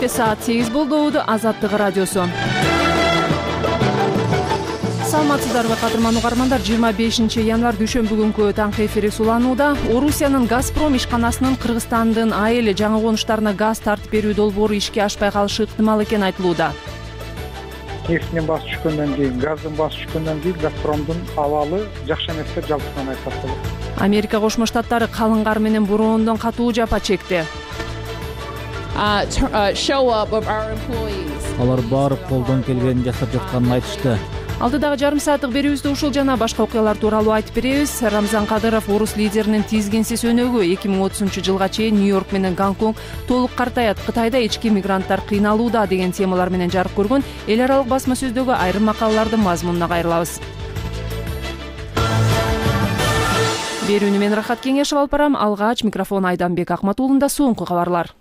Кечке саат 8 болду. Азаттык радиосу. Саламатсыздарбы кадырман угармандар. 25 январь дүйшөмбү күнкү таңкы эфири суланууда. Орусиянын Газпром ишканасынын Кыргызстандын айыл жаңы конуштарына газ тартып берүү долбоору ишке ашпай калышы ыктымал экени айтылууда. Нефтинин баасы түшкөндөн кийин, газдын баасы түшкөндөн кийин Газпромдун абалы жакшы эмес деп жалпысынан айтсак болот. Америка Кошмо Штаттары калың кар менен бороондон катуу жапа чекти. Алар барып колдон келгенин жасап жатканын айтышты. Алдыдагы жарым сааттык берүүбүздө ушул жана башка окуялар тууралуу айтып беребиз. Рамзан Кадыров орус лидеринин тизгинсиз өнөгү 2030 жылга чейин Нью-Йорк менен Гонконг толук картаят, Кытайда ички мигранттар кыйналууда деген темалар менен жарык көргөн эл аралык басма сөздөгү айрым макалалардын мазмунуна кайрылабыз. Берүүнү мен Рахат Кеңешев алып барам. Алгач микрофон Айданбек Акматуулунда. Соңку кабарлар.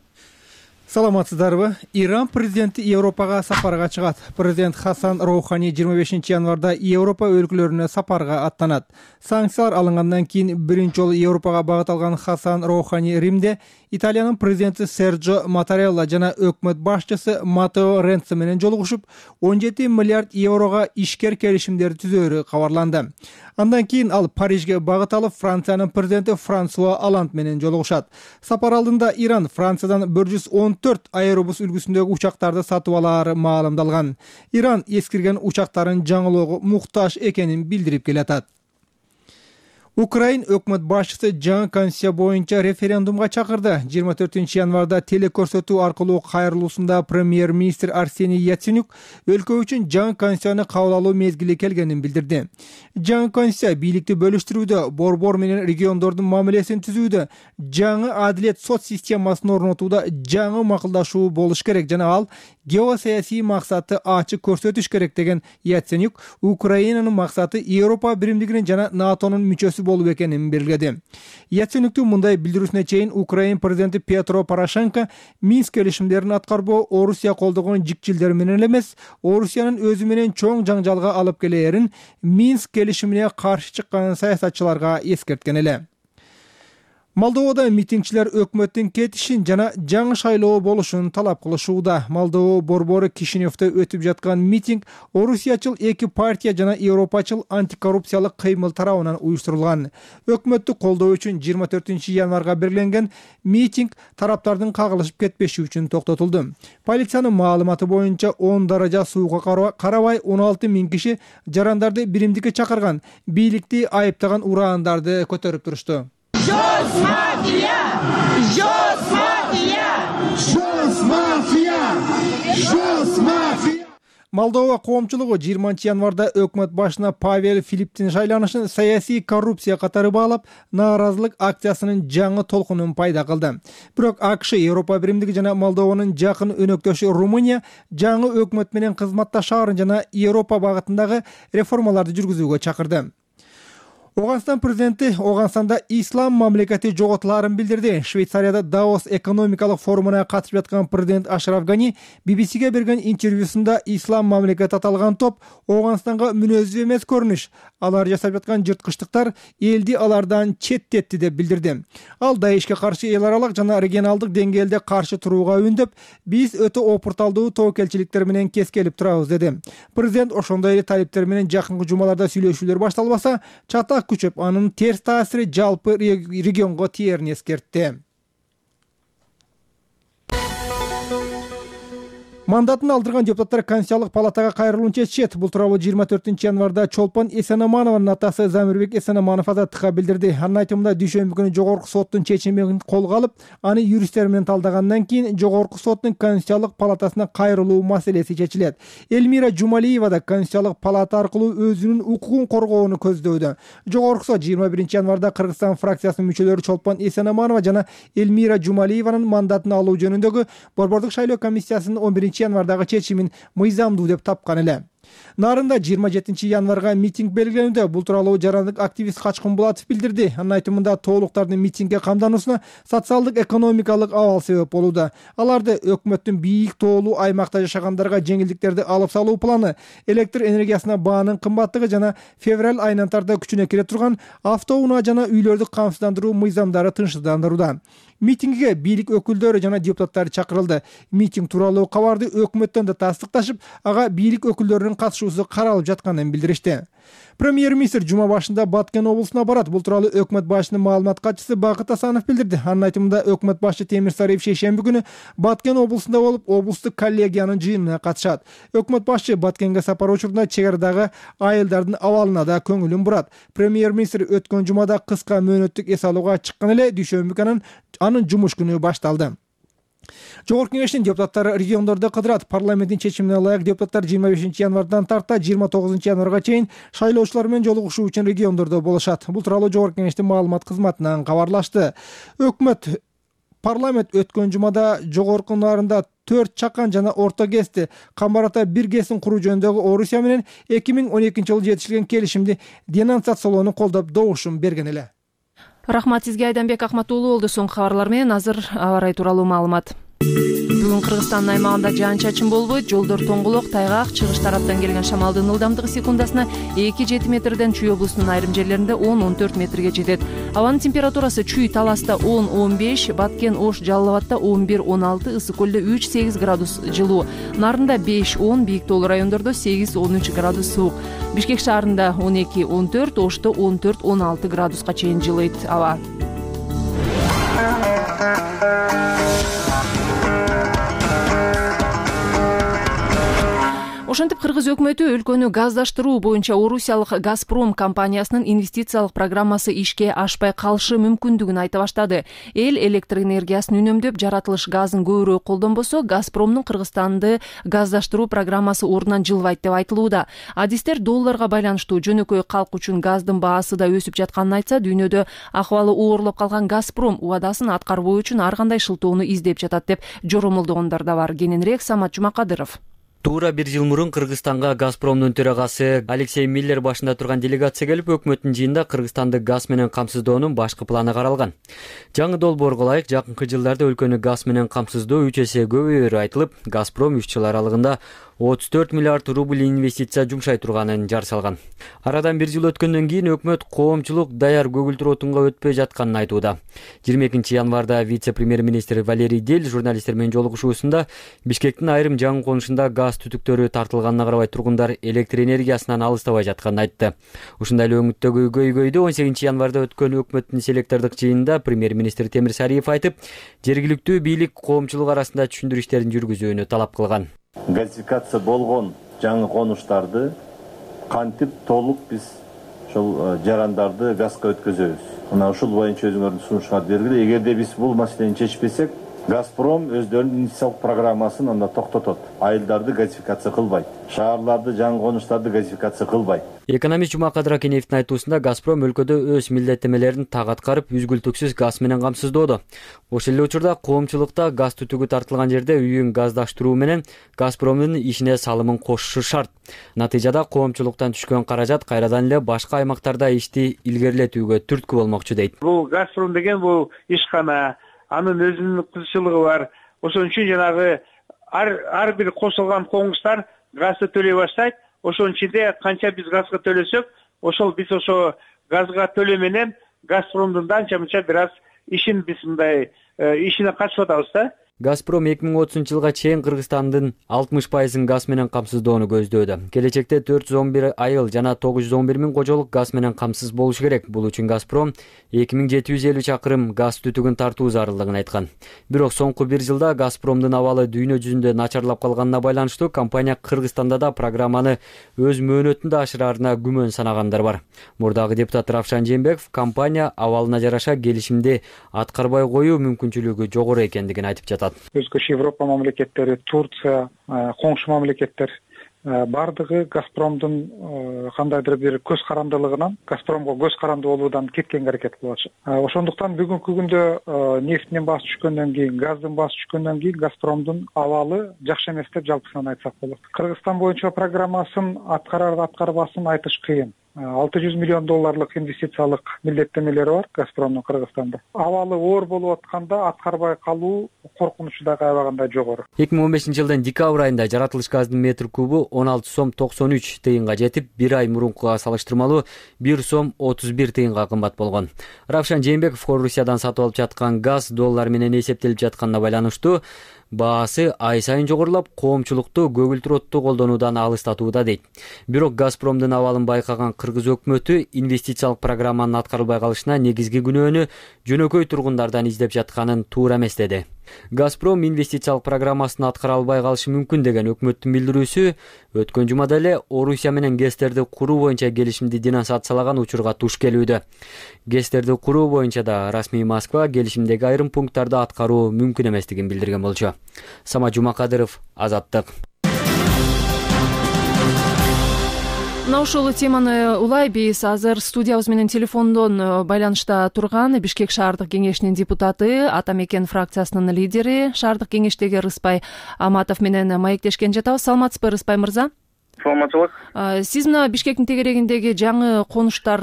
Саламатсыздарбы? Иран президенти Европага сапарга чыгат. Президент Хасан Роухани 25 январда Европа өлкөлөрүнө сапарга аттанат. Санкциялар алынгандан кийин биринчи жолу Европага багыт алган Хасан Роухани Римде Италиянын президенти Серджо Матарелла жана өкмөт башчысы Матео Ренци менен жолугушуп, 17 миллиард еврого ишкер келишимдерди түзөөрү кабарланды. Андан кийин ал Парижге багыт алып, Франциянын президенти Франсуа Оланд менен жолугушат. Сапар алдында Иран Франциядан 114 аэробус үлгүсүндөгү учактарды сатып алаары маалымдалган. Иран эскирген учактарын жаңылоого муктаж экенин билдирип келатат. Украин өкмөт башчысы жаңы конституция боюнча референдумга чакырды. 24 январда телекөрсөтүү аркылуу кайрылуусунда премьер-министр Арсений Яценюк өлкө үчүн жаңы конституцияны кабыл алуу мезгили келгенин билдирди. Жаңы конституция бийликти бөлүштүрүүдө, борбор менен региондордун мамилесин түзүүдө, жаңы адилет сот системасын орнотууда жаңы макулдашуу болуш керек жана ал геосаясий максатты ачык көрсөтүш керек деген Яценюк Украинанын максаты Европа биримдигинин жана НАТОнун мүчөсү болуу экенин белгиледи. Яценюктун мындай билдирүүсүнө чейин Украин президенти Петро Порошенко Минск келишимдерин аткарбоо Орусия колдогон жикчилдер менен эмес, Орусиянын өзү менен чоң жаңжалга алып келээрин Минск келишимине каршы чыккан саясатчыларга эскерткен эле. Молдовада митингчилер өкмөттүн кетишин жана жаңы шайлоо болушун талап кылышууда. Молдова борбору Кишиневде өтүп жаткан митинг Орусиячыл эки партия жана Европачыл антикоррупциялык кыймыл тарабынан уюштурулган. Өкмөттү колдоо үчүн 24 январга белгиленген митинг тараптардын кагылышып кетпеши үчүн токтотулду. Полициянын маалыматы боюнча 10 даража сууга карабай 16 миң киши жарандарды биримдикке чакырган, бийликти айыптаган ураандарды көтөрүп турушту. Жос мафия! Жос мафия! Жос мафия! Жос мафия! Молдова коомчулугу 20 январда өкмөт башына Павел Филипптин шайланышын саясий коррупция катары баалап, нааразылык акциясынын жаңы толкунун пайда кылды. Бирок АКШ, Европа биримдиги жана Молдованын жакын өнөктөшү Румыния жаңы өкмөт менен кызматташаарын жана Европа багытындагы реформаларды жүргүзүүгө чакырды. Оганстан президенти Оганстанда ислам мамлекети жоготулаарын билдирди. Швейцарияда Давос экономикалык форумуна катышып жаткан президент Ашраф Гани BBC-ге берген интервьюсунда ислам мамлекети аталган топ Оганстанга мүнөзсүз эмес көрүнүш, алар жасап жаткан жырткычтыктар элди алардан четтетти деп билдирди. Ал Даишке каршы эл аралык жана регионалдык деңгээлде каршы турууга үндөп, биз өтө опурталдуу тобокелчиликтер менен кескелип турабыз деди. Президент ошондой эле талиптер менен жакынкы жумаларда сүйлөшүүлөр башталбаса, чатак күчөп, анын терс таасири жалпы регионго тиерин эскертти. Мандатын алдырган депутаттар Конституциялык палатага кайрылууну чечишет. Бул тууралуу 24 январда Чолпон Эсенаманованын атасы Замирбек Эсенаманов Азаттыкка билдирди. Анын айтымында дүйшөмбү күнү жогорку соттун чечимин колго алып, аны юристтер менен талдагандан кийин жогорку соттун Конституциялык палатасына кайрылуу маселеси чечилет. Элмира Жумалиева да Конституциялык палата аркылуу өзүнүн укугун коргоону көздөдү. Жогорку сот 21 январда Кыргызстан фракциясынын мүчөлөрү Чолпон Эсенаманова жана Элмира Жумалиеванын мандатын алуу жөнүндөгү борбордук шайлоо комиссиясынын 11 январдагы чечимин мыйзамдуу деп тапкан эле. Нарында 27 январга митинг белгиленүүдө. Бул тууралуу жарандык активист Качкын Булатов билдирди. Анын айтымында тоолуктардын митингге камдануусуна социалдык экономикалык абал себеп болууда. Аларды өкмөттүн бийик тоолуу аймакта жашагандарга жеңилдиктерди алып салуу планы, электр энергиясына баанын кымбаттыгы жана февраль айынан тарта күчүнө кире турган автоунаа жана үйлөрдү камсыздандыруу мыйзамдары тынчсыздандырууда. Митингге бийлик өкүлдөрү жана депутаттар чакырылды. Митинг тууралуу кабарды өкмөттөн да тастыкташып, ага бийлик өкүлдөрүнүн катышуусу каралып жатканын билдиришти. Премьер-министр жума башында Баткен облусуна барат. Бул тууралуу өкмөт башчынын маалымат катчысы Бакыт Асанов билдирди. Анын айтымында өкмөт башчы Темир Сариев шейшемби күнү Баткен облусунда болуп, облустук коллегиянын жыйынына катышат. Өкмөт башчы Баткенге сапар учурунда чек арадагы айылдардын абалына да көңүлүн бурат. Премьер-министр өткөн жумада кыска мөөнөттүк эс алууга чыккан эле дүйшөмбү күнү анын жумуш күнү башталды. Жогорку кеңештин депутаттары региондордо кыдырат. Парламенттин чечимине ылайык депутаттар 25 январдан тарта 29 январга чейин шайлоочулар менен жолугушуу үчүн региондордо болушат. Бул тууралуу Жогорку кеңештин маалымат кызматынан кабарлашты. Парламент өткөн жумада жогорку нарында 4 чакан жана орто ГЭСти, Камбар ата 1 ГЭСин куруу жөнүндөгү Орусия менен 2012 жылы жетишилген келишимди денонсациялоону колдоп добушун берген эле. Рахмат сизге, Айданбек Акматуулу болду. Соңку кабарлар менен азыр аба ырайы тууралуу маалымат. Бүгүн Кыргызстандын аймагында жаан-чачын болбойт, жолдор тоңголок, тайгак, чыгыш тараптан келген шамалдын ылдамдыгы секундасына 2-7 метрден Чүй облусунун айрым жерлеринде 10-14 метрге жетет. Абанын температурасы Чүй Таласта 10-15, Баткен Ош Жалал Абадта 11-16, Ысык көлдө 3-8 градус жылуу, Нарында 5-10, бийик тоолуу райондордо 8-13 градус суук, Бишкек шаарында 12-14, Ошто 14-16 градуска чейин жылыйт аба. Ошентип Кыргыз өкмөтү өлкөнү газдаштыруу боюнча Орусиялык Газпром компаниясынын инвестициялык программасы ишке ашпай калышы мүмкүндүгүн айта баштады. Эл электр энергиясын үнөмдөп, жаратылыш газын көбүрөөк колдонбосо, Газпромдун Кыргызстанды газдаштыруу программасы ордунан жылбайт деп айтылууда. Адистер долларга байланыштуу жөнөкөй калк үчүн газдын баасы да өсүп жатканын айтса, дүйнөдө акыбалы оорлоп калган Газпром убадасын аткарбоо үчүн ар кандай шылтоону издеп жатат деп жоромолдогондор да бар. Кененирээк Самат Жумакадыров. Туура 1 жыл мурун Кыргызстанга Газпромдун төрагасы Алексей Миллер башында турган делегация келип, өкмөттүн жыйынында Кыргызстанды газ менен камсыздоонун башкы планы каралган. Жаңы долбоорго ылайык жакынкы жылдарда өлкөнү газ менен камсыздоо 3 эсе көбөйөрү айтылып, Газпром 3 жыл аралыгында 34 миллиард рубль инвестиция жумшай турганын жар салган. Арадан 1 жыл өткөндөн кийин өкмөт коомчулук даяр көгүлтүр отунга өтпөй жатканын айтууда. 22 январда вице-премьер-министр Валерий Дель журналисттер менен жолугушуусунда Бишкектин айрым жаңы конушунда газ түтүктөрү тартылганына карабай тургундар электр энергиясынан алыстабай жатканын айтты. Ушундай эле өңүттөгү көйгөйдү 18 январда өткөн өкмөттүн селектордук жыйынында премьер-министр Темир Сариев айтып, жергиликтүү бийлик коомчулук арасында түшүндүрүү иштерин жүргүзүүнү талап кылган. Газификация болгон жаңы конуштарды кантип толук биз ошол жарандарды газга өткөзөбүз. Мына ушул боюнча өзүңөрдүн сунушуңарды бергиле. Эгерде биз бул маселени чечпесек, Газпром өздөрүнүн инвестициялык программасын анда токтотот. Айылдарды газификация кылбайт. Шаарларды, жаңы конуштарды газификация кылбайт. Экономист Жумакадыр Акенеевдин айтуусунда Газпром өлкөдө өз милдеттенмелерин так аткарып, үзгүлтүксүз газ менен камсыздоодо. Ошол эле учурда коомчулукта газ түтүгү тартылган жерде үйүн газдаштыруу менен Газпромдун ишине салымын кошушу шарт. Натыйжада коомчулуктан түшкөн каражат кайрадан эле башка аймактарда ишти илгерилетүүгө түрткү болмокчу дейт. Бул Газпром деген бул ишкана, анын өзүнүн кызыкчылыгы бар. Ошон үчүн жанагы ар бир кошулган конустар газды төлөй баштайт. Ошонун ичинде канча биз газга төлөсөк, ошол биз ошо газга төлөө менен Газпромдун анча-мынча бир аз ишин биз мындай ишине катышып атабыз да. Газпром 2030 жылга чейин Кыргызстандын 60% газ менен камсыздоону көздөөдө. Келечекте 411 айыл жана 911 миң кожолук газ менен камсыз болушу керек. Бул үчүн Газпром 2750 чакырым газ түтүгүн тартуу зарылдыгын айткан. Бирок соңку 1 жылда Газпромдун абалы дүйнө жүзүндө начарлап калганына байланыштуу компания Кыргызстанда да программаны өз мөөнөтүндө ашыраарына күмөн санагандар бар. Мурдагы депутат Равшан Жээнбеков компания абалына жараша келишимди аткарбай коюу мүмкүнчүлүгү жогору экендигин айтып жатат. Өзгөчө Европа мамлекеттери, Турция, коңшу мамлекеттер баардыгы Газпромдун кандайдыр бир көз карандылыгынан, Газпромго көз карандуу болуудан кеткенге аракет кылып атышат. Ошондуктан бүгүнкү күндө нефттин баасы түшкөндөн кийин, газдын баасы түшкөндөн кийин Газпромдун абалы жакшы эмес деп жалпысынан айтсак болот. Кыргызстан боюнча программасын аткарбасын айтыш кыйын. $600 миллион инвестициялык милдеттенмелери бар Газпромдун Кыргызстанда. Абалы оор болуп атканда аткарбай калуу коркунучу дагы аябагандай жогору. 2015-жылдын декабрь айында жаратылыш газдын метр кубу 16 сом 93 тыйынга жетип, бир ай мурункуга салыштырмалуу 1 сом 31 тыйынга кымбат болгон. Равшан Жээнбеков Хорусиядан сатып алып жаткан газ доллар менен эсептелип жатканына байланыштуу баасы ай сайын жогорулап, коомчулукту көгүлтүр отту колдонуудан алыстатууда дейт. Бирок Газпромдун абалын байкаган кыргыз өкмөтү инвестициялык программанын аткарылбай калышына негизги күнөөнү жөнөкөй тургундардан издеп жатканын туура эмес деди. Газпром инвестициялык программасын аткара албай калышы мүмкүн деген өкмөттүн билдирүүсү өткөн жумада эле Орусия менен ГЭСтерди куруу боюнча келишимди денонсациялаган учурга туш келүүдө. ГЭСтерди куруу боюнча да расмий Москва келишимдеги айрым пункттарды аткаруу мүмкүн эместигин билдирген болчу. Самат Жумакадыров, Азаттык. Мына ушул теманы улай биз азыр студиябыз менен телефондон байланышта турган Бишкек шаардык кеңешинин депутаты, Ата Мекен фракциясынын лидери, шаардык кеңештеги Рыспай Аматов менен маектешкен жатабыз. Саламатсызбы, Рыспай мырза? Саламатчылык. Сиз мына Бишкектин тегерегиндеги жаңы конуштар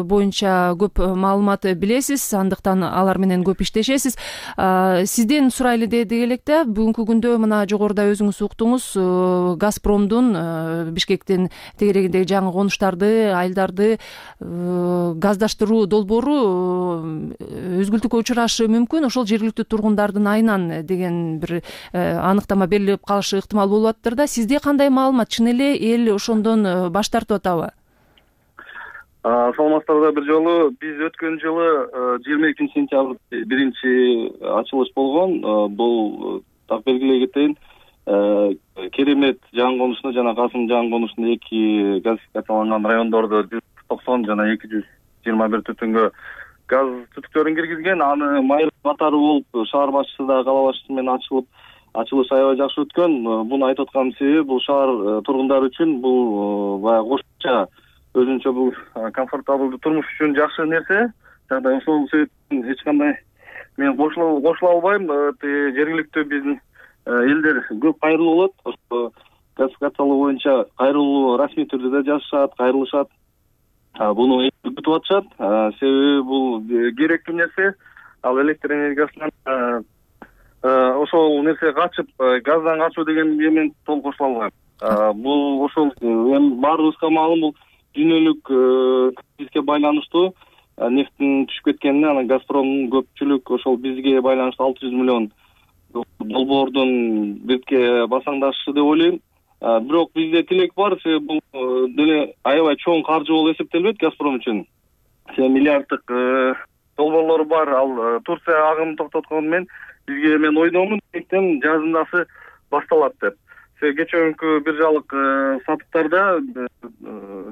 боюнча көп маалымат билесиз, андыктан алар менен көп иштешесиз. Сизден сурайлы дедик электе, бүгүнкү күндө мына жогоруда өзүңүз уктуңуз, Газпромдун Бишкектин тегерегиндеги жаңы конуштарды, айылдарды газдаштыруу долбоору өзгүлтүккө учурашы мүмкүн, ошол жергиликтүү тургундардын айынан деген бир аныктама берилип калышы ыктымал болуп атыптыр да. Сизде кандай маалымат? Чын эле эл ошондон баш тартып атабы? Саламатсыздарбы бир жолу. Биз өткөн жылы 22 сентябрь биринчи ачылыш болгон. Бул так белгилей кетейин. Керемет жаңы конушуна жана Касым жаңы конушунда эки газификацияланган райондордо 190 жана 221 түтүнгө газ түтүктөрүн киргизген. Аны майыр катары болуп шаар башчысы да кала башчысы менен ачылыш аябай жакшы өткөн. Буну айтып аткан себеби бул шаар тургундары үчүн бул баягы кошумча өзүнчө бул комфортабылдуу турмуш үчүн жакшы нерсе. Жагдай ошол себептен эч кандай мен кошула албайм. Жергиликтүү биздин элдер көп кайрылуу болот. Ошо газификациялоо боюнча кайрылуу расмий түрдө да жазышат, кайрылышат. Буну күтүп атышат. Себеби бул керектүү нерсе. Ал электр энергиясынан ошол нерсе качып, газдан качуу деген мен толук кошула албайм. Бул ошол эми баарыбызга маалым, бул дүйнөлүк кризиске байланыштуу нефттин түшүп кеткенине, анан Газпромдун көпчүлүк ошол бизге байланыштуу 600 миллион долбоордун бетке басаңдашышы деп ойлойм. Бирок бизде тилек бар, себеби бул деле аябай чоң каржы болуп эсептелбейт Газпром үчүн. Миллиарддык долбоорлору бар. Ал Турция агымын токтоткону менен бизге мен ойдомун, эктен жазындасы башталат деп. Кечээкү биржалык сатыктарда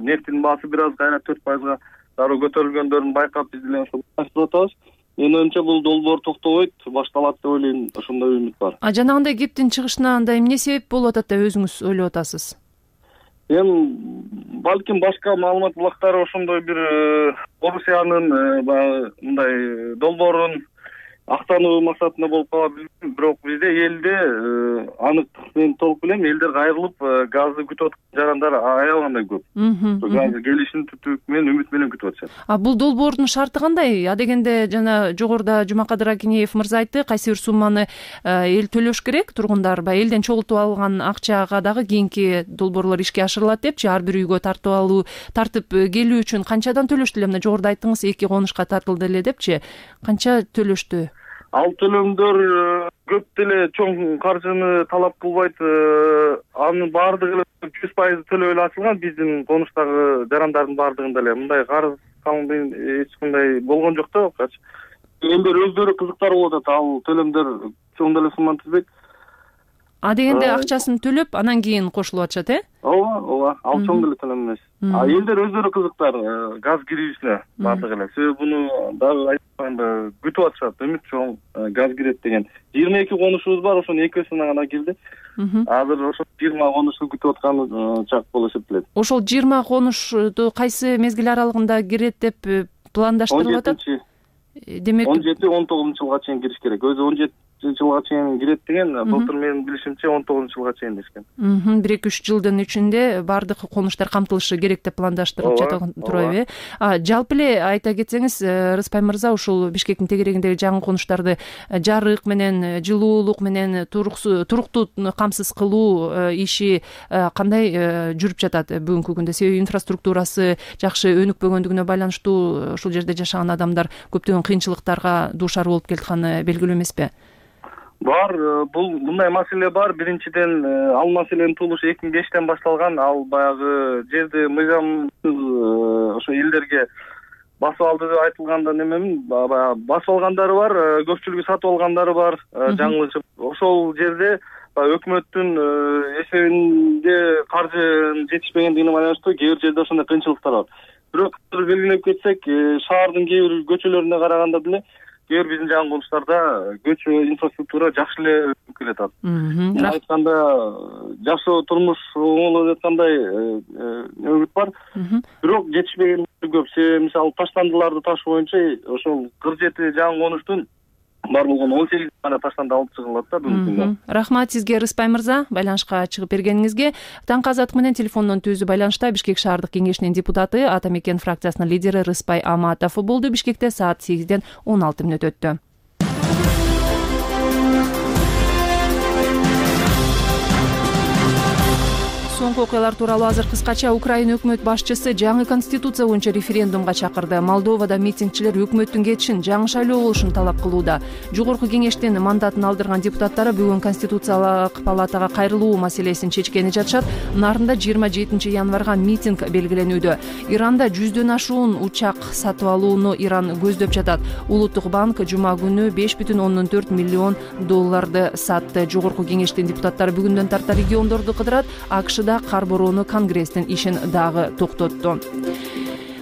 нефтин баасы бир аз кайра 4%га дароо көтөрүлгөндөрүн байкап, биз деле ошо баштап атабыз. Менин оюмча бул долбоор токтобойт, башталат деп ойлойм. Ошондой үмүт бар. Жанагындай кептин чыгышына андай эмне себеп болуп атат деп өзүңүз ойлоп атасыз? Балким башка маалымат булактары ошондой бир Орусиянын мындай долбоорун актануу максатында болуп калат. Бирок бизде элде аныктык мен толук билем, элдер кайрылып газды күтүп аткан жарандар аябагандай көп. Газ келишин менен үмүт менен күтүп атышат. Бул долбоордун шарты кандай? Адегенде жана жогоруда Жумакадыр Акинеев мырза айтты, кайсы бир сумманы эл төлөш керек, тургундар элден чогултуп алган акчага дагы кийинки долбоорлор ишке ашырылат депчи, ар бир үйгө тартып келүү үчүн канчадан төлөштү эле? Мына жогоруда айттыңыз, 2 конушка тартылды эле депчи. Канча төлөштү? Ал төлөмдөр көп деле чоң каржыны талап кылбайт. Анын баардыгы 100% төлөө эле ачылган. Биздин конуштагы жарандардын баардыгында эле мындай карыз салынды эч кандай болгон жок да. Элдер өздөрү кызыктар болуп атат. Ал төлөмдөр чоң деле сумманы түзбөйт. Дегенде акчасын төлөп, анан кийин кошулуп атышат, Ооба. Ал чоң деле төлөм эмес. Элдер өздөрү кызыктар газ кирүүсүнө баардыгы эле. Себеби буну дагы айтып атпайынбы күтүп атышат, үмүт чоң газ кирет деген. 22 конушубуз бар, ошонун экөөсүнө гана кирди. Азыр ошо 20 конушту күтүп аткан чак болуп эсептелет. Ошол 20 конушту кайсы мезгил аралыгында кирет деп пландаштырылып атат? Демек 17-19 жылга чейин кириш керек. Өзү 17 жылга чейин кирет деген, былтыр менин билишимче 19 жылга чейин дешкен. 1-3 жылдын ичинде бардык конуштар камтылышы керек деп пландаштырылып жатат турабы? Жалпы эле айта кетсеңиз, Рыспай мырза, ушул Бишкектин тегерегиндеги жаңы конуштарды жарык менен, жылуулук менен туруктуу камсыз кылуу иши кандай жүрүп жатат бүгүнкү күндө? Себеби инфраструктурасы жакшы өнүкпөгөндүгүнө байланыштуу ушул жерде жашаган адамдар көптөгөн кыйынчылыктарга дуушар болуп келатканы белгилүү эмеспи? Бар, мындай маселе бар. Биринчиден, ал маселенин туулушу 2005-тен башталган. Ал баягы жерди мыйзамсыз ошо элдерге басып алды деп айтылганда немемин, басып алгандары бар, көпчүлүгү сатып алгандары бар, жаңылышып. Ошол жерде өкмөттүн эсебинде каржы жетишпегендигине байланыштуу кээ бир жерде ошондой кыйынчылыктар бар. Бирок белгилеп кетсек, шаардын кээ бир көчөлөрүнө караганда деле биздин жаңы конуштарда көчө инфраструктура жакшы эле өтүп келатат. Айтканда жашоо турмуш оңолуп жаткандай үмүт бар. Бирок жетишпеген көп. Мисалы таштандыларды таш боюнча ошол 47 жаңы конуштун бар болгону 18 гана таштанды алып чыгылат да бүгүнкү күндө. Рахмат сизге, Рыспай мырза, байланышка чыгып бергениңизге. Таңкы азаттык менен телефондон түзүү байланышта Бишкек шаардык кеңешинин депутаты, Ата Мекен фракциясынын лидери Рыспай Аматов болду. Бишкекте саат 8-ден 16 мүнөт өттү. Соңку окуялар тууралуу азыр кыскача. Украина өкмөт башчысы жаңы конституция боюнча референдумга чакырды. Молдовада митингчилер өкмөттүн кетишин, жаңы шайлоо болушун талап кылууда. Жогорку кеңештин мандатын алдырган депутаттары бүгүн конституциялык палатага кайрылуу маселесин чечкени жатышат. Нарында 27 январга митинг белгиленүүдө. Иранда 100дөн ашуун учак сатып алууну Иран көздөп жатат. Улуттук банк жума күнү $5,4 миллион сатты. Жогорку кеңештин депутаттары бүгүндөн тарта региондорду кыдырат. АКШда кар бороону Конгресстин ишин дагы токтотту.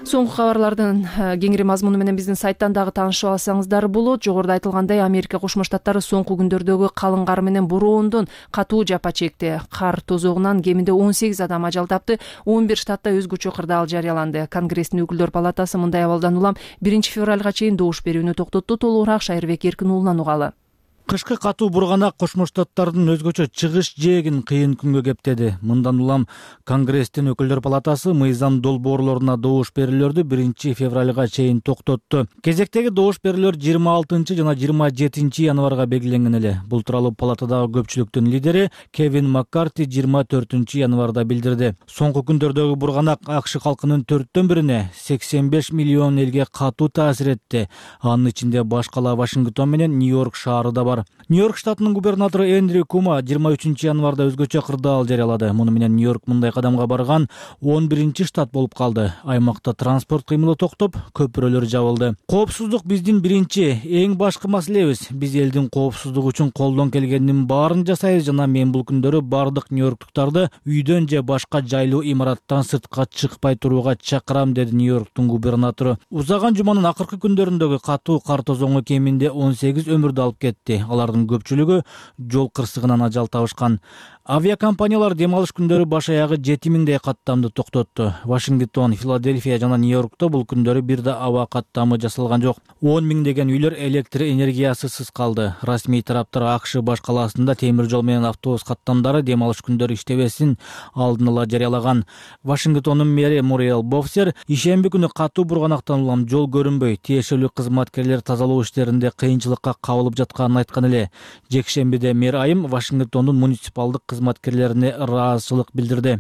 Соңку кабарлардын кеңири мазмуну менен биздин сайттан дагы таанышып алсаңыздар болот. Жогоруда айтылгандай, Америка Кошмо Штаттары соңку күндөрдөгү калың кар менен бороондон катуу жапа чекти. Кар тозогунан кеминде 18 адам ажал тапты. 11 штатта өзгөчө кырдаал жарыяланды. Конгресстин өкүлдөр палатасы мындай абалдан улам 1 февралга чейин добуш берүүнү токтотту. Толугураак Шайырбек Эркин уулунан угалы. Кышкы катуу бурганак Кошмо Штаттардын өзгөчө чыгыш жээгин кыйын күнгө кептеди. Мындан улам Конгресстин өкүлдөр палатасы мыйзам долбоорлоруна добуш берүүлөрдү 1 февралга чейин токтотту. Кезектеги добуш берүүлөр 26 жана 27 январга белгиленген эле. Бул тууралуу палатадагы көпчүлүктүн лидери Кевин Маккарти 24 январда билдирди. Соңку күндөрдөгү бурганак АКШ калкынын 4/1 85 миллион элге катуу таасир этти. Анын ичинде баш кала Вашингтон менен Нью-Йорк шаары да бар. Нью-Йорк штатынын губернатору Эндрю Кума 23 январда өзгөчө кырдаал жарыялады. Муну менен Нью-Йорк мындай кадамга барган 11 штат болуп калды. Аймакта транспорт кыймылы токтоп, көпүрөлөр жабылды. Коопсуздук биздин биринчи, эң башкы маселебиз. Биз элдин коопсуздугу үчүн колдон келгендин баарын жасайбыз жана мен бул күндөрү бардык нью-йорктуктарды үйдөн же башка жайлуу имараттан сыртка чыкпай турууга чакырам, деди Нью-Йорктун губернатору. Узаган жуманын акыркы күндөрүндөгү катуу кар тозоңу кеминде 18 өмүрдү алып кетти. Алардын көпчүлүгү жол кырсыгынан ажал табышкан. Авиакомпаниялар дем алыш күндөрү баш аягы 7000дей каттамды токтотту. Вашингтон, Филадельфия жана Нью-Йоркто бул күндөрү бир да аба каттамы жасалган жок. 10 миңдеген үйлөр электр энергиясысыз калды. Расмий тараптар АКШ баш калаасында темир жол менен автобус каттамдары дем алыш күндөрү иштебесин алдын ала жарыялаган. Вашингтондун мэри Муриэл Бофсер ишемби күнү катуу бурганактан улам жол көрүнбөй, тиешелүү кызматкерлер тазалоо иштеринде кыйынчылыкка кабылып жатканын айткан эле. Жекшембиде мэр айым Вашингтондун муниципалдык кызматкерлерине ыраазычылык билдирди.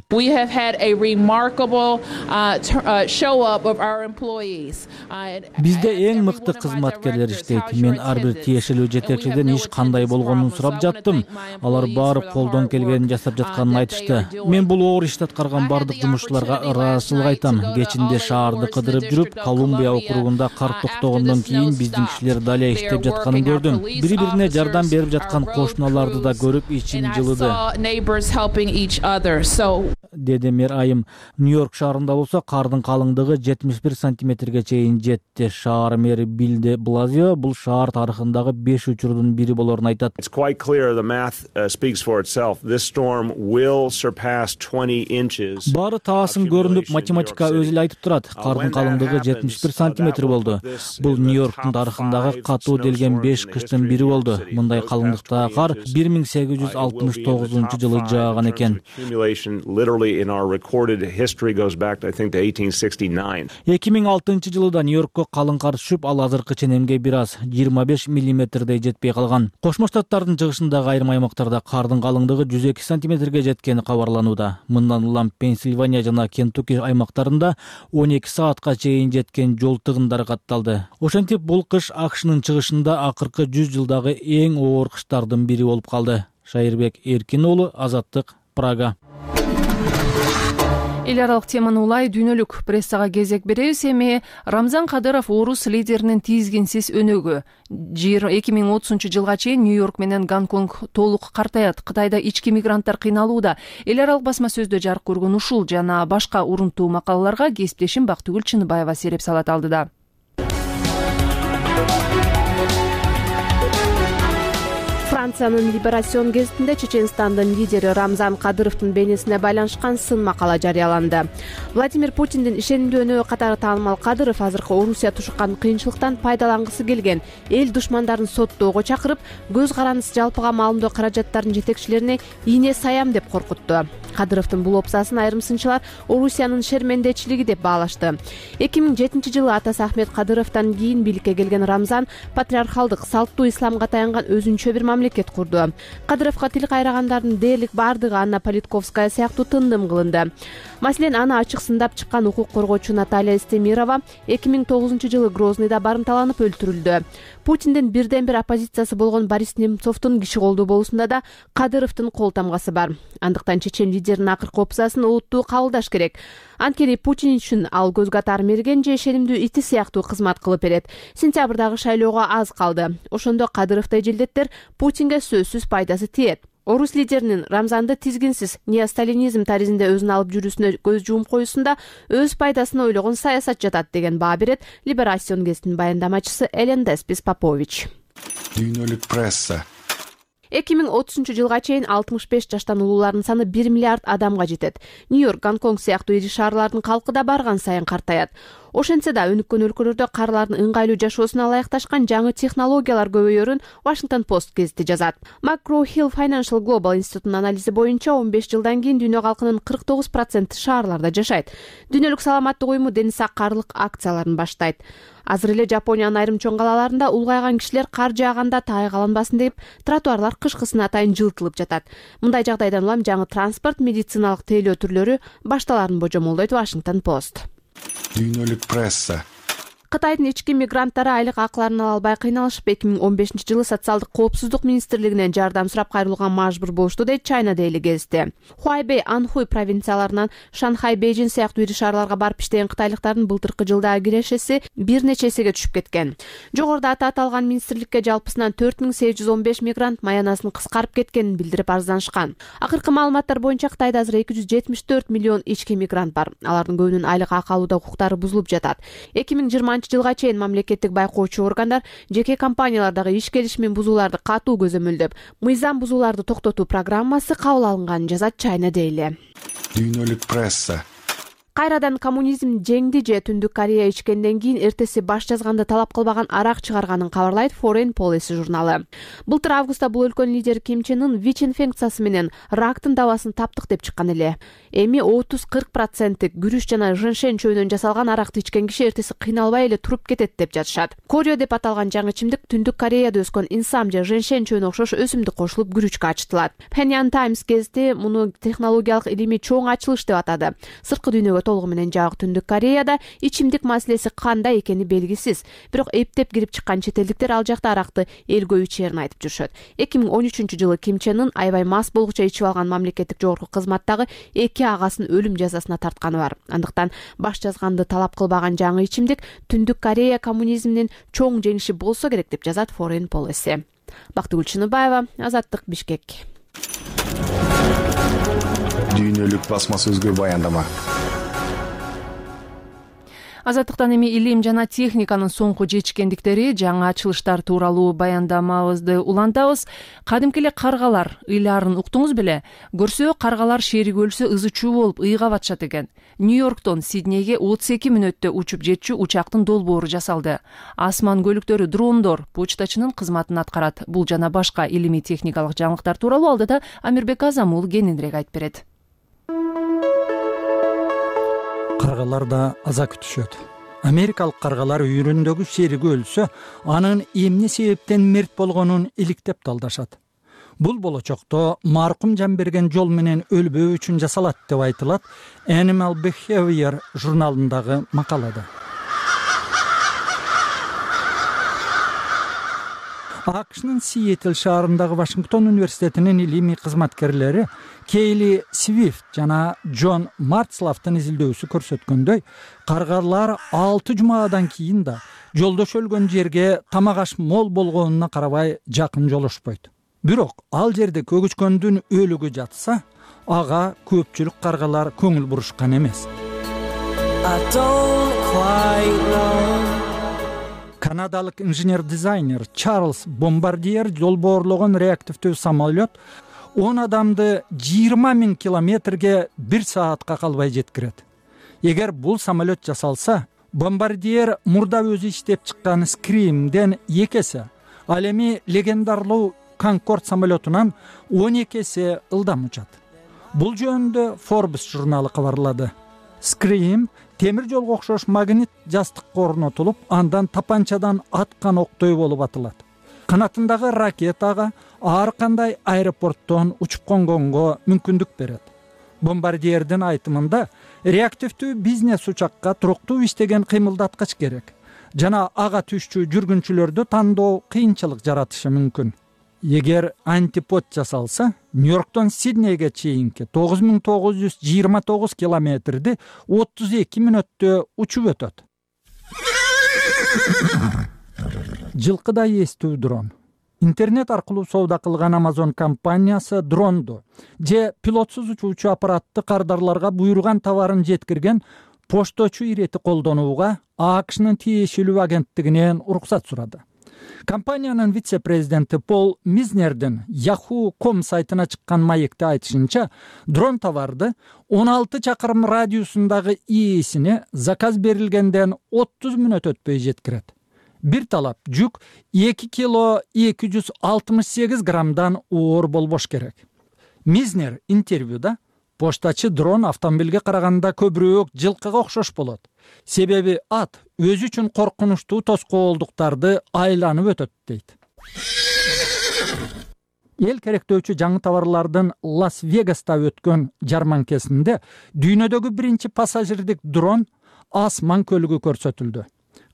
Бизде эң мыкты кызматкерлер иштейт. Мен ар бир тиешелүү жетекчиден иш кандай болгонун сурап жаттым. Алар баары колдон келгенин жасап жатканын айтышты. Мен бул оор ишти аткарган бардык жумушчуларга ыраазычылык айтам. Кечинде шаарды кыдырып жүрүп, Колумбия округунда кар токтогондон кийин биздин кишилер дале иштеп жатканын көрдүм. Бири-бирине жардам берип жаткан кошуналарды да көрүп ичим жылыды. деди мэр Айым. Нью-Йорк шаарында болсо кардын калыңдыгы 71 сантиметрге чейин жетти. Шаар мэри Билл де Блазио бул шаар тарыхындагы 5 учурдун бири болорун айтат. It's quite clear the math speaks for itself. This storm will surpass 20 inches. Баары таасын көрүнүп, математика өзү эле айтып турат. Кардын калыңдыгы 71 сантиметр болду. Бул Нью-Йорктун тарыхындагы катуу делген 5 кыштын бири болду. Мындай калыңдыктагы кар 1869 жылы жааган экен. 2006 жылы да Нью-Йоркко калың кар түшүп, ал азыркы ченемге бир аз 25 миллиметрдей жетпей калган. Кошмо Штаттардын чыгышындагы айрым аймактарда кардын калыңдыгы 102 сантиметрге жеткени кабарланууда. Мындан улам Пенсильвания жана Кентукки аймактарында 12 саатка чейин жеткен жол тыгындары катталды. Ошентип бул кыш АКШнын чыгышында акыркы 100 жылдагы эң оор кыштардын бири болуп калды. Шайырбек Эркин уулу, Азаттык, Прага. Эл аралык теманы улай дүйнөлүк прессага кезек беребиз. Эми Рамзан Кадыров орус лидеринин тизгинсиз өнөгү. 2030 жылга чейин Нью-Йорк менен Гонконг толук картаят. Кытайда ички мигранттар кыйналууда. Эл аралык басма сөздө жарык көргөн ушул жана башка урунтуу макалаларга кесиптешим Бактыгүл Чыныбаева сереп салат алдыда. Франциянын Либерасион гезитинде Чеченстандын лидери Рамзан Кадыровдун бейнесине байланышкан сын макала жарыяланды. Владимир Путиндин ишенимдүү өнөгү катары таанымал Кадыров азыркы Орусия тушуккан кыйынчылыктан пайдалангысы келген эл душмандарын соттоого чакырып, көз карандысыз жалпыга маалымдоо каражаттарынын жетекчилерине ийне саям деп коркутту. Кадыровдун бул опсасын айрым сынчылар Орусиянын шермендечилиги деп баалашты. 2007 жылы атасы Ахмет Кадыровдон кийин бийликке келген Рамзан патриархалдык, салттуу исламга таянган өзүнчө бир мамлекет курду. Кадыровго тил кайрагандардын дээрлик бардыгы Анна Политковская сыяктуу тындым кылынды. Маселен, аны ачык сындап чыккан укук коргоочу Наталья Стемирова 2009 жылы Грозныйда барымталанып өлтүрүлдү. Путиндин бирден бир оппозициясы болгон Борис Немцовдун киши колдуу болуусунда да Кадыровдун кол тамгасы бар. Андыктан чечен лидердин акыркы опсасын олуттуу кабылдаш керек. Анткени Путин үчүн ал көзгө атар мерген же ишенимдүү ити сыяктуу кызмат кылып берет. Сентябрдагы шайлоого аз калды. Ошондо Кадыровдой жилдеттер Путинге сөзсүз пайдасы тиет. Орус лидеринин Рамзанды тизгинсиз неосталинизм таризинде өзүн алып жүрүүсүнө көз жуум коюусунда өз пайдасын ойлогон саясат жатат деген баа берет Либерасион гезитинин баяндамачысы Элен Деспис Попович. Дүйнөлүк пресса 2030 жылга чейин 65 жаштан улуулардын саны 1 миллиард адамга жетет. Нью-Йорк, Гонконг сыяктуу ири шаарлардын калкы да барган сайын картаят. Ошентсе да өнүккөн өлкөлөрдө карлардын ыңгайлуу жашоосуна ылайыкташкан жаңы технологиялар көбөйөрүн Washington Post гезити жазат. McGraw-Hill Financial Global институтунун анализи боюнча 15 жылдан кийин дүйнө калкынын 49% шаарларда жашайт. Дүйнөлүк саламаттык уюму дени саккарлык акцияларын баштайт. Азыр эле Жапониянын айрым чоң калаларында улгайган кишилер кар жааганда тайгаланбасын деп тротуарлар кышкысына атайын жылтылып жатат. Мындай жагдайдан улам жаңы транспорт, медициналык тейлөө түрлөрү башталарын божомолдойт Washington Post. Дүйнөлүк пресса Кытайдын ички мигранттары айлык акыларын ала албай кыйналышып 2015 жылы социалдык коопсуздук министрлигинен жардам сурап кайрылууга мажбур болушту дейт China Daily гезити. Хуайбэй, Анхуй провинцияларынан Шанхай, Бейжин сыяктуу ири шаарларга барып иштеген кытайлыктардын былтыркы жылдагы кирешеси бир нече эсеге түшүп кеткен. Жогоруда аты аталган министрликке жалпысынан 4815 мигрант маянасын кыскарып кеткенин билдирип арызданышкан. Акыркы маалыматтар боюнча Кытайда азыр 274 миллион ички мигрант бар. Алардын көбүнүн айлык акы алууда укуктары бузулуп жатат. 2020 жылга чейин мамлекеттик байкоочу органдар жеке компаниялардагы иш келишимин бузууларды катуу көзөмөлдөп, мыйзам бузууларды токтотуу программасы кабыл алынганын жазат China Daily. Дүйнөлүк пресса Кайрадан коммунизм жеңди же Түндүк Корея ичкенден кийин эртеси баш жазганды талап кылбаган арак чыгарганын кабарлайт Foreign Policy журналы. Былтыр августта бул өлкөнүн лидери Ким Чен Ын ВИЧ инфекциясы менен рактын дабасын таптык деп чыккан эле. Эми 30-40% күрүч жана женьшень чөйүнөн жасалган аракты ичкен киши эртеси кыйналбай эле туруп кетет деп жатышат. Корё деп аталган жаңы ичимдик Түндүк Кореяда өскөн инсам же женьшень чөйүнө окшош өсүмдүк кошулуп күрүчкө ачытылат. Phenyan Times гезити муну технологиялык илимий чоң ачылыш деп атады. Сырткы дүйнөгө толугу менен жагык Түндүк Кореяда ичимдик маселеси кандай экени белгисиз. Бирок эптеп кирип чыккан чет элдиктер ал жакта аракты элгөө ичээрин айтып жүрүшөт. 2013 жылы Ким Чен Ын аябай мас болгуча ичип алган мамлекеттик жогорку кызматтагы 2 агасын өлүм жазасына тартканы бар. Андыктан баш жазганды талап кылбаган жаңы ичимдик Түндүк Корея коммунизминин чоң жеңиши болсо керек деп жазат Foreign Policy. Бактыгүл Чыныбаева, Азаттык, Бишкек. Дүйнөлүк басма сөзгө баяндама. Азаттыктан эми илим жана техниканын соңку жетишкендиктери, жаңы ачылыштар тууралуу баяндамабызды улантабыз. Кадимки эле каргалар ыйлаарын уктуңуз беле? Көрсө, каргалар шерик өлсө ызычуу болуп ыйга батышат экен. Нью-Йорктон Сиднейге 32 мүнөттө учуп жетчү учактын долбоору жасалды. Асман көлүктөрү дрондор почтачынын кызматын аткарат. Бул жана башка илимий техникалык жаңылыктар тууралуу алдыда Амирбек Азамул кененирээк айтып берет. Каргалар да аза күтүшөт. Америкалык каргалар үйрүндөгү шериги өлсө, анын эмне себептен мерт болгонун иликтеп талдашат. Бул болочокто маркум жан берген жол менен өлбөө үчүн жасалат деп айтылат Animal Behavior журналындагы макалада. АКШнын Сиэтл шаарындагы Вашингтон университетинин илимий кызматкерлери Кейли Свифт жана Джон Марцлафтын изилдөөсү көрсөткөндөй, каргалар 6 жумадан кийин да жолдош өлгөн жерге тамак аш мол болгонуна карабай жакын жолошпойт. Бирок ал жерде көгүчкөндүн өлүгү жатса, ага көпчүлүк каргалар көңүл бурушкан эмес. Канадалык инженер-дизайнер Чарльз Бомбардиер долбоорлогон реактивдүү самолет 10 адамды 20 000 километрге 1 саатка калбай жеткирет. Эгер бул самолет жасалса, Бомбардиер мурда өзү иштеп чыккан Scream'ден 2 эсе, ал эми легендарлуу Конкорд самолетунан 12 эсе ылдам учат. Бул жөнүндө Forbes журналы кабарлады. Scream темир жолго окшош магнит жастыкка орнотулуп, андан тапанчадан аткан октой болуп атылат. Канатындагы ракетага ар кандай аэропорттон учуп конгонго мүмкүндүк берет. Бомбардиердин айтымында, реактивдүү бизнес учакка туруктуу иштеген кыймылдаткыч керек жана ага түшчү жүргүнчүлөрдү тандоо кыйынчылык жаратышы мүмкүн. Эгер антипод жасалса, Нью-Йорктон Сиднейге чейинки 9929 километрди 32 мүнөттө учуп өтөт. Жылкыдай эстүү дрон. Интернет аркылуу соода кылган Amazon компаниясы дронду же пилотсуз учуучу аппаратты кардарларга буйруган товарын жеткирген пошточу ирети колдонууга АКШнын тиешелүү агенттигинен уруксат сурады. Компаниянын вице-президенти Пол Мизнердин Yahoo.com сайтына чыккан маекте айтышынча, дрон товарды 16 чакырым радиусундагы ээсине заказ берилгенден 30 мүнөт өтпөй жеткирет. Бир талап жүк 2 кило 268 граммдан оор болбош керек. Мизнер интервьюда поштачы дрон автомобилге караганда көбүрөөк жылкыга окшош болот. Себеби ат өзү үчүн коркунучтуу тоскоолдуктарды айланып өтөт дейт. Эл керектөөчү жаңы товарлардын Лас-Вегаста өткөн жарманкесинде дүйнөдөгү биринчи пассажирдик дрон Асман көлүгү көрсөтүлдү.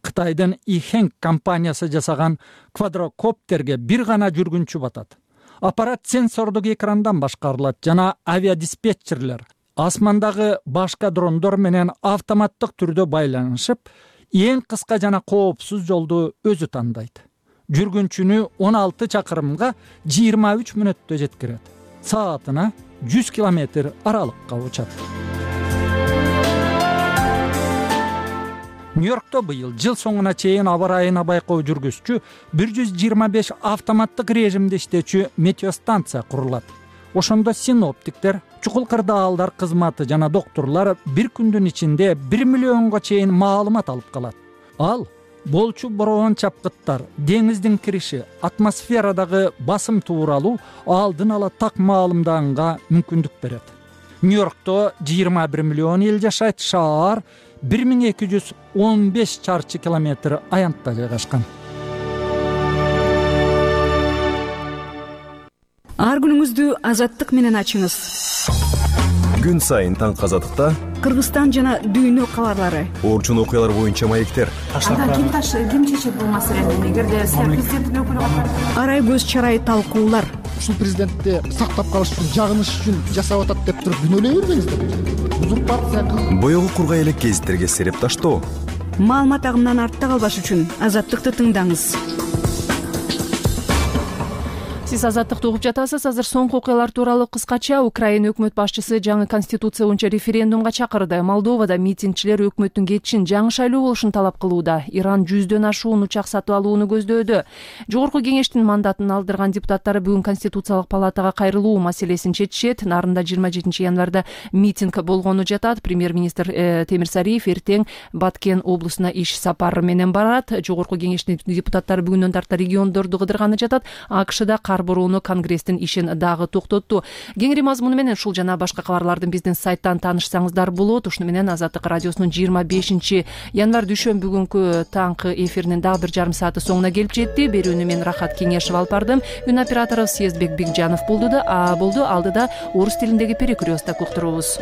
Кытайдын Ихэнг компаниясы жасаган квадрокоптерге бир гана жүргүнчү батат. Аппарат сенсордук экрандан башкарылат жана авиадиспетчерлер асмандагы башка дрондор менен автоматтык түрдө байланышып, эң кыска жана коопсуз жолду өзү тандайт. Жүргүнчүнү 16 чакырымга 23 мүнөттө жеткирет. Саатына 100 километр аралыкка учат. Нью-Йоркто быйыл жыл соңуна чейин аба ырайына байкоо жүргүзчү 125 автоматтык режимде иштечү метеостанция курулат. Ошондо синоптиктер, чукул кырдаалдар кызматы жана доктурлар бир күндүн ичинде 1 миллионго чейин маалымат алып калат. Ал болчу бороон чапкыттар, деңиздин кириши, атмосферадагы басым тууралуу алдын ала так маалымданга мүмкүндүк берет. Нью-Йоркто 21 миллион эл жашайт, шаар 1215 чарчы километр аянтта жайгашкан. Ар күнүңүздү азаттык менен ачыңыз. Күн сайын таң азаттыкта Кыргызстан жана дүйнө кабарлары, орчун окуялар боюнча маектер. Ким чечет бул маселени? Эгерде президенттин өкүлү арай көз чарай талкуулар. Ушул президентти сактап калыш үчүн, жагыныш үчүн жасап атат деп туруп күнөөлөй бербеңиздер. Узурпация. Боёгу кургай элек гезиттерге сереп таштоо. Маалымат агымынан артта калбаш үчүн азаттыкты тыңдаңыз. Сиз азаттыкты угуп жатасыз. Азыр соңку окуялар тууралуу кыскача. Украина өкмөт башчысы жаңы конституция боюнча референдумга чакырды. Молдовада митингчилер өкмөттүн кетишин, жаңы шайлоо болушун талап кылууда. Иран 100дөн ашуун учак сатып алууну көздөөдө. Жогорку кеңештин мандатын алдырган депутаттары бүгүн конституциялык палатага кайрылуу маселесин чечишет. Нарында 27 январда митинг болгону жатат. Премьер-министр Темир Сариев эртең Баткен облусуна иш сапары менен барат. Жогорку кеңештин депутаттары бүгүндөн тарта региондорду кыдырганы жатат. АКШда кар бороону Конгресстин ишин дагы токтотту. Кеңири мазмуну менен ушул жана башка кабарлардын биздин сайттан таанышсаңыздар болот. Ушуну менен Азаттык радиосунун 25 январ дүйшөмбү күнгү таңкы эфиринин дагы бир жарым сааты соңуна келип жетти. Берүүнү мен Рахат Кеңешов алып бардым. Үн оператору Съездбек Бигжанов болду. Алдыда орус тилиндеги перекресток уктурубуз.